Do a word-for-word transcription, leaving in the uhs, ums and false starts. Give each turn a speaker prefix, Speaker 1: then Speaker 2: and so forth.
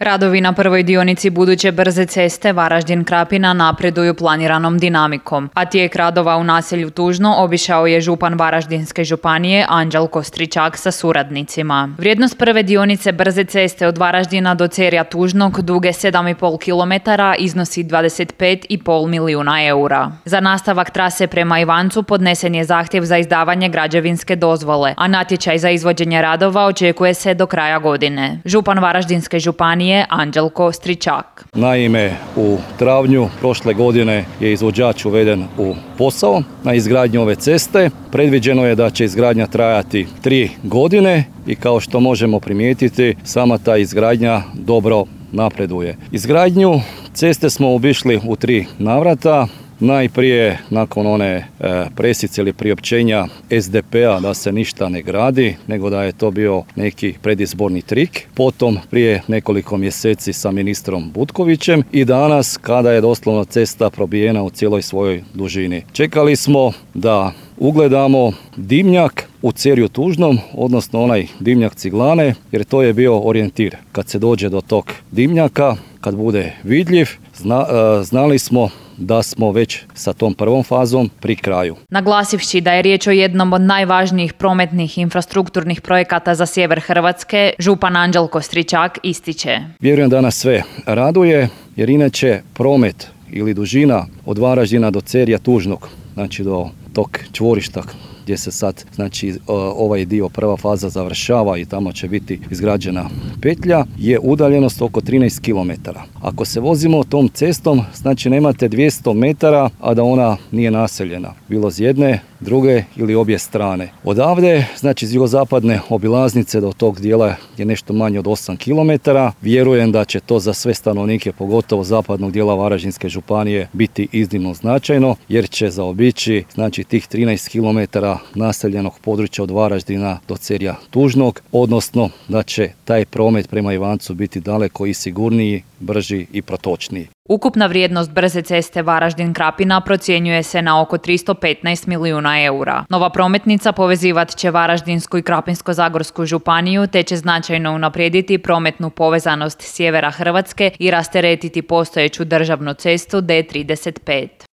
Speaker 1: Radovi na prvoj dionici buduće brze ceste Varaždin-Krapina napreduju planiranom dinamikom, a tijek radova u naselju Tužno obišao je župan Varaždinske županije Anđelko Stričak sa suradnicima. Vrijednost prve dionice brze ceste od Varaždina do Cerja Tužnog duge sedam i pol kilometara iznosi dvadeset pet i pol milijuna eura. Za nastavak trase prema Ivancu podnesen je zahtjev za izdavanje građevinske dozvole, a natječaj za izvođenje radova očekuje se do kraja godine. Župan Varaždinske županije Anđelko Stričak.
Speaker 2: Naime, u travnju prošle godine je izvođač uveden u posao na izgradnju ove ceste. Predviđeno je da će izgradnja trajati tri godine i kao što možemo primijetiti, sama ta izgradnja dobro napreduje. Izgradnju ceste smo obišli u tri navrata. Najprije nakon one e, presice ili priopćenja es de pe-a da se ništa ne gradi, nego da je to bio neki predizborni trik. Potom prije nekoliko mjeseci sa ministrom Butkovićem i danas kada je doslovno cesta probijena u cijeloj svojoj dužini. Čekali smo da ugledamo dimnjak u Cerju Tužnom, odnosno onaj dimnjak ciglane, jer to je bio orijentir. Kad se dođe do tog dimnjaka, kad bude vidljiv, zna, e, znali smo da smo već sa tom prvom fazom pri kraju.
Speaker 1: Naglasivši da je riječ o jednom od najvažnijih prometnih infrastrukturnih projekata za sjever Hrvatske, župan Anđelko Stričak ističe.
Speaker 2: Vjerujem da nas sve raduje, jer inače promet ili dužina od Varaždina do Cerja Tužnog, znači do tog čvorišta gdje se sad znači ovaj dio prva faza završava i tamo će biti izgrađena petlja, je udaljenost oko trinaest kilometara. Ako se vozimo tom cestom, znači nemate dvjesto metara, a da ona nije naseljena, bilo s jedne, druge ili obje strane. Odavde, znači iz jugozapadne obilaznice do tog dijela je nešto manje od osam kilometara. Vjerujem da će to za sve stanovnike, pogotovo zapadnog dijela Varaždinske županije, biti iznimno značajno, jer će zaobići znači tih trinaest kilometara naseljenog područja od Varaždina do Cerja Tužnog, odnosno da će taj promet prema Ivancu biti daleko i sigurniji, brži i protočniji.
Speaker 1: Ukupna vrijednost brze ceste Varaždin-Krapina procjenjuje se na oko tristo petnaest milijuna eura. Nova prometnica povezivat će Varaždinsku i Krapinsko-zagorsku županiju te će značajno unaprijediti prometnu povezanost sjevera Hrvatske i rasteretiti postojeću državnu cestu de trideset pet.